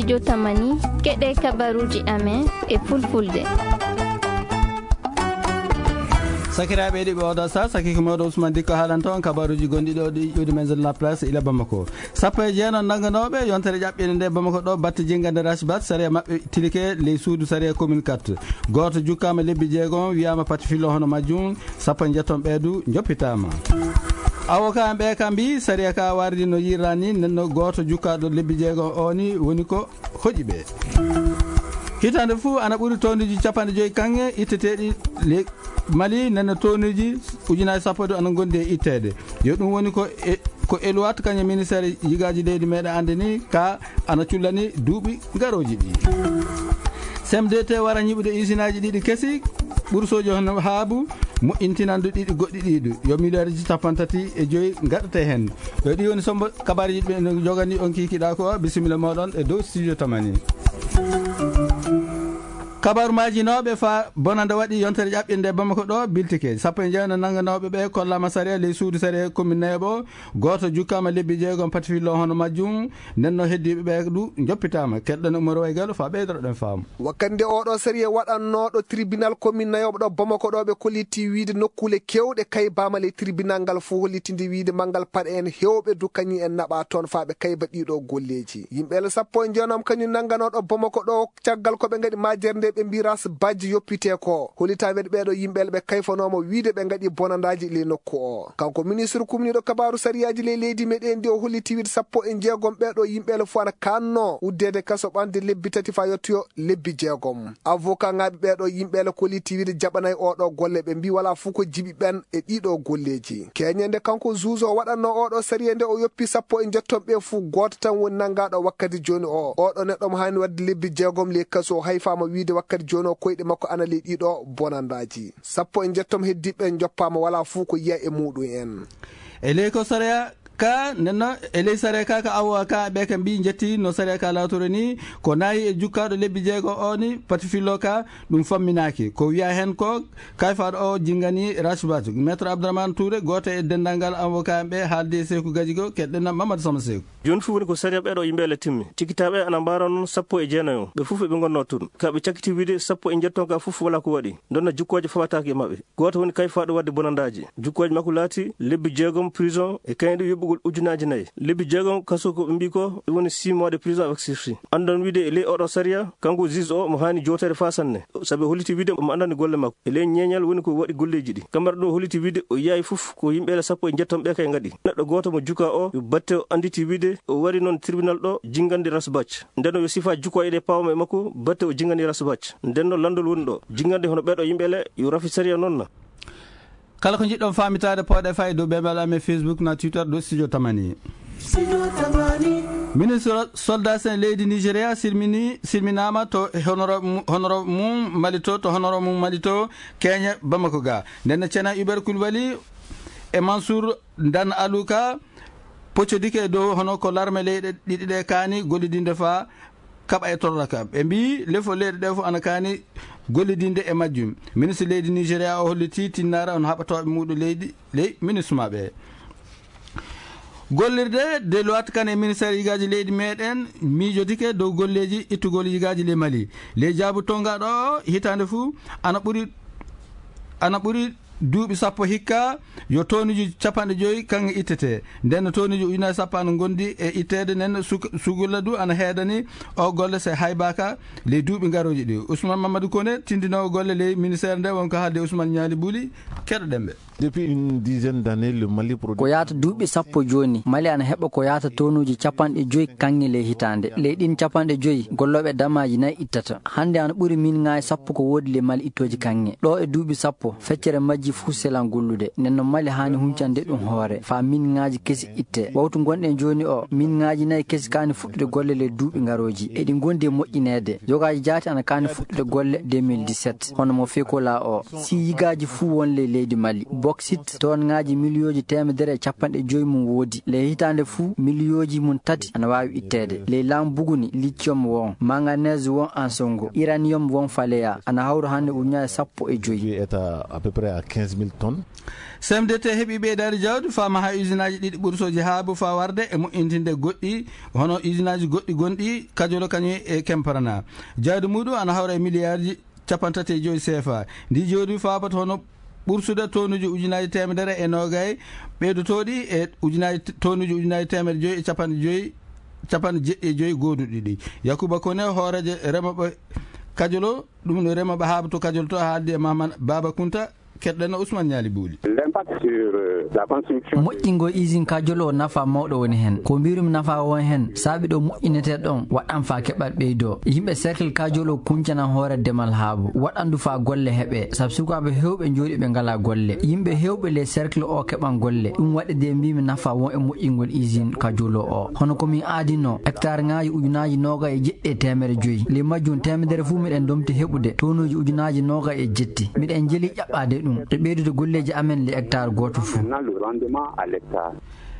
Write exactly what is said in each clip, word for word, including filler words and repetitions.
Jotamani, keɗe kabaruuji amen e fulfulde. Sakiraaɓe heɗiiɓe, oɗo sa sakiko mawɗo Ousmane Dikko haalanta on kabaruuji gonɗi ɗo ɗi ƴuwdi Maison de la Place ila Bamako. Sappo e jeenayi nannganooɓe yontere ƴaɓɓinde nde Bamako ɗo batte jinngande Rasbat, sariya maɓɓe tilike ley suudu sariya commune quatre. Gooto jukkaama lebbi jeegom, wiyaama pati fillo hono majjum, sappo e jeetati ɓeeɗu njoppitaama. Avocat ɓe ka mbi sariya ka wardi no yiɗirani, nenno gooto jukkaaɗo lebbi jeegom o ni woni ko hoƴi ɓe. Hitaande fuu ana ɓuri tonneji capanɗe joyi kaŋŋe itteteeɗi le-, Mali, nenno tonneji ujunaaji sappo ɗo ana ngondi e itteede. Yo ɗum woni ko e, ko Eluwat kañum ministére yigaaji leydi meɗen anndini ka ana cullani duuɓi garooji ɗi. C M D T wara ñiɓude isinaaji ɗiɗi kesi, ɓursooji hono haabu, moƴƴintinandu ɗiɗi goɗɗi ɗiɗi. Yo miliyarji capanɗe tati e joyi ngaɗete heen. Yo ɗi woni sombo kabaruuji ɓe no jogani on kikiɗa ko, bisimilla moɗon e dow studio tamani. Kabaru majinooɓe fa bonande waɗi yontere ƴaɓɓinde Bamako ɗo biltike. Sappo e jeenayi nannganooɓe ɓe kollaama sariya ley suudu sariya commune Nayoɓo. Gooto jukkaama lebbi jeegom pati fillo hono majjum. Nenno heddiiɓe ɓe du njoppitaama. Keɗɗon Umar Waygal fa ɓeydoroɗen faamu. Wakkati nde oɗo sariya waɗannooɗo tribunal commune Nayoɓo ɗo Bamako ɗo ɓe kolliti wiide nokkuule kewɗe kaybaama ley tribunal ngal fuu hollitinde wiide manngal paɗe en heewɓe du kañum en naɓa toon fa ɓe kayba ɗiɗo golleeji. Yimɓe sappo e jeenayi kañum nannganooɗo Bamako ɗo caggal ko ɓe ngaɗi majjere nde ɓe mbi Ras Badji yoppite ko. Hollita weɗ ɓeeɗo yimɓe ɓe kayfanooma wiide ɓe ngaɗi bonandaaji ley nokku o. Kanko ministre kumniiɗo kabaaru sariyaaji ley leydi meɗen ndi o holliti wiide sappo e jeegom ɓeeɗo yimɓe fof ana kanno uddeede kaso ɓande lebbi tati fa yottoyo lebbi jeegom. Avocat ŋaaɓe ɓeeɗo yimɓe kolliti wiide jaɓanay oɗo golle ɓe mbi wala fuu ko jiɓi ɓen e ɗiɗo golleeji. Keñende kanko juge o waɗanno oɗo sariya nde o yoppi sappo e jeetati ɓe fuu gooto tan woni nanngaaɗo wakkati jooni o. Oɗo neɗɗo mo haani waɗde lebbi jeegom ley kaso o hayfaama wiide wakkati jooni o koyɗe makko ana ley ɗiɗo bonandaaji. Sappo e jeetati heddiiɓe ɓe njoppaama wala fuu ko yiya e muɗum en. E ley ko sariya ka nenno, e ley sariya ka ka awo ka ɓe ka mbi jetti no sariya ka lawtoro ni ko nayi e jukkaaɗo lebbi jeego o ni pati fillo ka ɗum famminaaki. Ko wiya heen ko kayfaaɗo o jingani Rachbat. Maître Abdourahmane Touré, gooto e denndaangal avocat ɓe haaldi e Seeku Gajigo, keɗɗen Mamadou Sama Seeku. Jooni fof woni ko sariya ɓeeɗo yimɓe ele timmi. Cikitaaɓe ana mbaara noon sappo e jeenayo. Ɓe fof eɓe ngonnoo toon. Ka ɓe cakkiti wiide sappo e njetton ka fof wala ko waɗi. Ndonna jukkooje faɓataake e maɓɓe. Gooto woni kayfaaɗo waɗde bonandaaji. Jukkooje makko laati lebbi jeegom prison e kayɗe yoɓugol ujunaaji nayi. Lebbi jeegom kaso ko ɓe mbii ko ɗum woni six mois de prison avec sursis. Anndon wiide e ley oɗo sariya, kanko juge o mo haani jootere faa sanne. Sabi o holliti wiide omo anndani golle makko. E ley ñeeñal woni ko waɗi golleeji ɗi. Kamara ɗo holliti wiide o yahi fof ko yimɓe ele sappo e njetton ɓe kay ngaɗi. Neɗɗo gooto mo juka o yo batte o annditi wiide o wari noon tribunal ɗo jingande Rasbach. Nden o yo sifa jukko eɗe pawma e makko batte o jingani Rasbach. Nden no landol woni ɗo. Jingande hono ɓeɗo yimɓe ele yo rafi sariya noon na. Kala ko njiɗɗon faamitaade, pooɗe fay dow ɓeɓal amen Facebook na Twitter dow Studio Tamani. Ministre soldat sen leydi Nigeria silmini, silminaama to honorable mu-, honorable mum Mali to, to honorable mum Mali to, Kenya, Bamako ga. Nden no Cena Hubert Koulibaly e Mansour Dan Aluka poccodike e dow hono ko larme leyɗe ɗiɗi ɗe kaani gollidinde faa kaɓa e torraka. Ɓe mbii lefol leyɗe ɗe fof ana kaani gollidinde e majjum. Ministre leydi Nigeria o holliti tinnaare on haɓatooɓe muuɗum leydi, ley ministre maɓɓe. Gollirde Deloitte kan e ministère yigaaji leydi meɗen miijodike dow golleeji ittugol yigaaji ley Mali. Ley jaabu tongaɗo o hitaande fuu ana ɓuri, ana ɓuri duuɓi sappo hikka yo tonuji capanɗe joyi kaŋŋe ittete. Nden no tonuji ujunaaji sappo ana ngondi e itteede, nden no suk-, sugulla du ana heedani o golle se haybaka ley duuɓi ngarooji ɗi. Ousmane Mamadou Koné, tindinoowo golle ley ministère nde, wonko haalde Ousmane Ñaali Buli, keɗoɗen ɓe. Depuis une dizaine d'années, le Mali produit. Ko yaata duuɓi sappo jooni, Mali ana heɓa ko yaata tonuji capanɗe joyi kaŋŋe ley hitaande. Ley ɗin capanɗe joyi, gollooɓe damaaji nayi ittata. Hannde ana ɓuri min ŋaaji sappo ko woodi ley Mali ittooji kaŋŋe. Ɗo e duuɓi sappo, feccere majji fuu selan gollude. Nden no Mali haani huncande ɗum hoore, faa min ŋaaji kesi itte. Wawtu ngonɗen jooni o, min ŋaaji nayi kesi kaani fuɗɗude golle ley duuɓi ngarooji. Eɗi ngondi e moƴƴineede. Yogaaji jaati ana kaani fuɗɗude golle deux mille dix-sept. Hono mo fekola o, si yigaaji fuu won ley Leydi Mali, boksit tonŋaaji miliyooji teemedere e capanɗe joyi mum woodi. Ley hitaande fuu, miliyooji mum tati ana waawi itteede. Ley laamu buguni, lithium won, manganese won, ansongo, uranium won, faleya, ana hawra hannde ujunaaji sappo e joyi. Est à, à peu près à quinze mille tonnes. C M D T heɓi ɓeydaari jawdi faa maha usinaaji ɗiɗi ɓursooji haabu faa warde e moƴƴintinde goɗɗi, hono usinaaji goɗɗi gonɗi Kajolo kañum e Kemparana. Jawdi muuɗum ana hawra e miliyaarji cappanɗe tati e joyi C F A. Ndi jawdi faaboto hono ɓursude tonuuji ujunaaji teemedere e noogay ɓeydotooɗi e ujunaaji, tonuuji ujunaaji teemedere joyi e capanɗe joyi, capanɗe jeɗɗi e joyi gooduɗi ɗi. Yakuba Kone, hooreejo remooɓe Kajolo, ɗum no remooɓe haabu to Kajolo to, haaldi e Mahamad Baaba Kunta. Keɗɗen Ousmane Ñaali Buuli. L'impact sur, euh, la construction. Moƴƴingol usine Kajolo o nafa mawɗo woni heen. Ko mbiirumi nafa won heen, saabi ɗo moƴƴinetee ɗon, waɗan faa keɓal ɓeydoo. Yimɓe cercle Kajolo kuncana hoore demal haabu, waɗan du faa golle heɓee, sabu sukaaɓe heewɓe njooɗi ɓe ngalaa golle. Yimɓe heewɓe ley cercle o keɓan golle. Ɗum waɗi de mbiimi nafa won e moƴƴingol usine Kajolo o. Hono ko min aadinoo, hectare ŋaaji ujunaaji noogay e jeɗɗi e teemedde joyi. Ley majjum teemedere fuu miɗen ndomti heɓude tonuuji ujunaaji noogay e jetti. Miɗen njeli ƴaɓɓaade ɗum e ɓeydude golleeji amen le hectare gooto fuu. Maintenant, le rendement à l'hectare.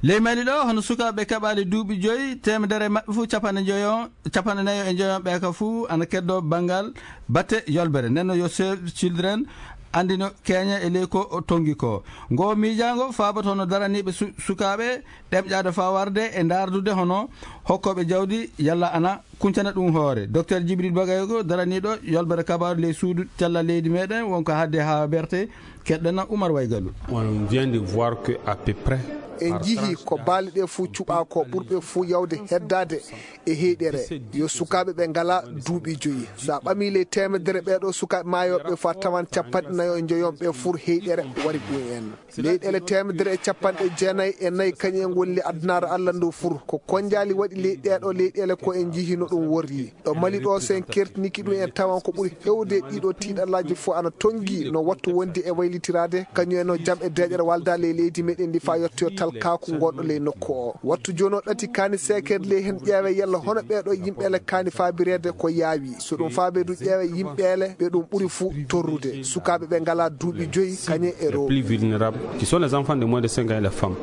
Ley Mali ɗo, hono sukaaɓe keɓaali duuɓi joyi, teemedere e maɓɓe fuu capanɗe joyo, capanɗe nayo e joyo ɓe ka fuu ana keddoo banngal batte yolbere. Nden no yo Save Children anndino keeña e ley ko o tonngi ko. Ngo miijaango faaboto hono daraniiɓe su-, sukaaɓe ɗemƴaade faa warde e ndaardude hono hokkooɓe jawdi yalla ana kuncana ɗum hoore. Docteur Djibril Bagayoko, daraniiɗo yolbere kabaaru ley suudu cellal leydi meɗen, wonko haaɗi haa berte, keɗɗen Oumar Waygalu. On vient de voir que à peu près en njiyii ko baali ɗe fuu cuɓaa ko, ɓurɓe fuu yawde heddaade e heyɗere yo sukaaɓe ɓe ngalaa duuɓi joyi. So a ɓamii ley teemedere ɓee ɗoo sukaaɓe maayooɓe faa tawan capanɗe nayo e njoyon ɓe fuu heyɗere wari ɗum en. Leyɗeele teemedere e capanɗe jeenayi e nayi kañum en ngoni ley adunaaru Alla ndu fuu. Ko konnjaali waɗi ley ɗee ɗoo leyɗeele ko en njiyii no ɗum worri. Ɗo Mali ɗoo, so en kertinike ɗum, en tawan ko ɓuri heewde ɗii ɗoo tiiɗallaaji fuu ana tonngi no wattu wonde e waylitiraade, kañum en no jam e deeƴere walda ley leydi meɗen ndi faa yottoo talkaaku ngonɗo ley nokku o. Wattu jooni o ɗati kaani seekeede ley heen ƴeewe yalla hono ɓee ɗoo yimɓeele kaani faabireede ko yaawi. So ɗum faabee du ƴeewe yimɓeele ɓe ɗum ɓuri fuu torrude. Sukaaɓe ɓe ngalaa duuɓi joyi kañum e rewɓe. Les plus vulnérables, qui sont les enfants de moins de cinq ans et les femmes.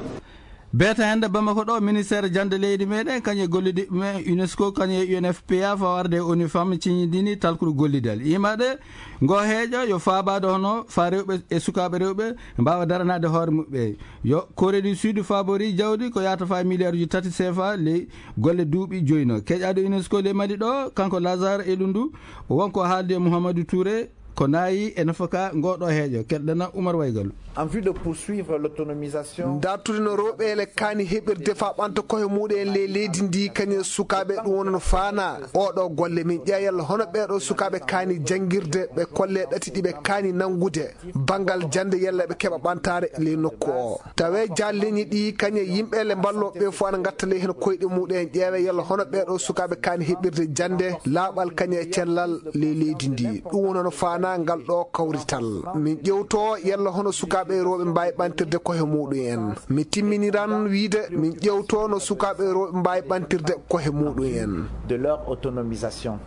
Beeta hannde Bamako ɗo, ministère jannde leydi meɗen, kañum e gollidiiɓe men UNESCO, kañum e U N F P A, faa warde e ONU Femmes, ciñidini talkuru gollidal. Imaɗe ngo heeƴo yo faabaade hono faa rewɓe e sukaaɓe rewɓe mbaawa daranaade hoore muɓɓe. Yo Corée du Sud faabori jawdi ko yaata faa miliyaaruuji tati C F A ley golle duuɓi joyno. Keƴaaɗo UNESCO ley Mali ɗo, kanko Lazare Elundu, wonko haaldi e Mouhamadou Touré, ko naayi e nafaka ngo ɗo heeƴo. Keɗɗen Oumar Waygalu. En vue de poursuivre l'autonomisation. Dartude no rewɓeele kaani heɓirde faa ɓamta koye muɗum en ley leydi ndi, kañum e sukaaɓe, ɗum woni no faanaa. Oɗo golle min ƴeewa yalla hono ɓee ɗoo sukaaɓe kaani janngirde, ɓe kolle ɗati ɗi ɓe kaani nanngude. Banngal jannde yalla ɓe keɓa ɓamtaare ley nokku o. Tawee jal leñi ɗi kañum e yimɓeele mballooɓe ɓe fof ana ngatta ley heen koyɗe muɗum en, ƴeewa yalla hono ɓee ɗoo sukaaɓe kaani heɓirde jannde laaɓal kañum e cellal ley leydi ndi. Ɗum woni hono faanaa ngal ɗo kawrital. Min ƴeewto yalla hono sukaaɓe e rewɓe mbaawi ɓamtirde koye muɗum en. Mi timminiran wiyde min ƴeewto no sukaaɓe e rewɓe mbaawi ɓamtirde koye muɗum en. De leur autonomisation.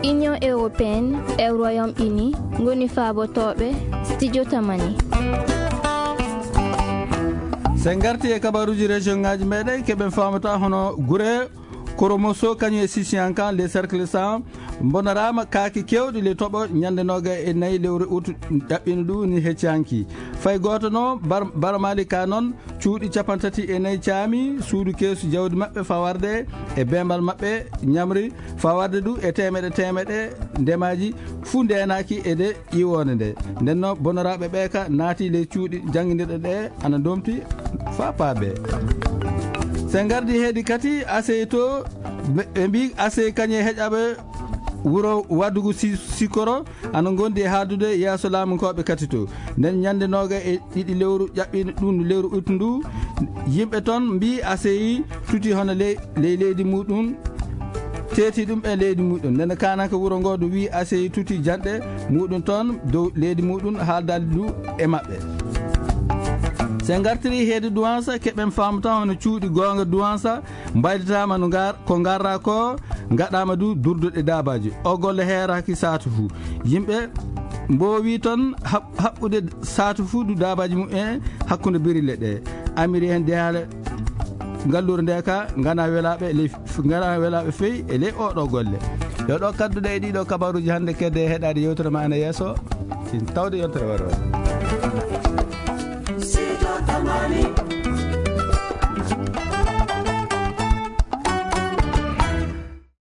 Union européenne e Royaume-Uni ngoni faabotooɓe Studio Tamani. So en ngartii e kabaaruuji région ngaaji meɗen, keɓen faamata hono gure Koromoso kañum e Sisiyanka, les cercles cent, mbonoraama kaake keewɗe ley toɓo ñande noogay e nayi lewru ut ɗaɓɓiino ɗum ni hecci hanki. Fay gooto no bar-, barmaali ka noon, cuuɗi capanɗe tati e nayi caami, suudu keesu jawdi maɓɓe faa warde e beembal maɓɓe ñamri, faa warde du e teemeɗe teemeɗe ndemaaji fuu ndeenaaki e nde ƴiwoonde nde. Nden no bonoraaɓe ɓe ka naati ley cuuɗi jannginirɗe ɗe ana ndomti faa paabe. So en ngardi heedi kadi, asey to, ɓe, ɓe mbii asey kañum e heƴaɓe wuro Wadugu Si-, Sikoro, ana ngondi e haaldude yeeso laamunkooɓe kadi to. Nden ñande nooga e ɗiɗi lewru ƴaɓɓiino ɗum, lewru ut ndu, yimɓe toon mbii aseyi tuti hono ley, ley leydi muɗum, teeti ɗum e leydi muɗum. Nden kaananke wuro ngo ɗum wii aseyi tuti janɗe muɗum toon dow leydi muɗum, haaldaali ndu e maɓɓe. So en ngartirii heedi Duwansa, keɓen faamu tan hono cuuɗi goonga Duwansa mbaylitaama no ngar-, ko ngarraa ko, ngaɗaama du durduɗe daabaaji. O golle heeraaki saatu fuu. Yimɓe Mboowi toon haɓ- haɓɓude saatu fuu du daabaaji mum en hakkunde birille ɗe. Amiri en dehaale ngalluure nde ka ngana welaaɓe ley f- ngana welaaɓe fey e ley oɗo golle. Yo ɗo kadduɗe e ɗiɗo kabaruuji hannde kedde e heɗaade yewtere ma ana yeeso. Sin tawde yontere waro.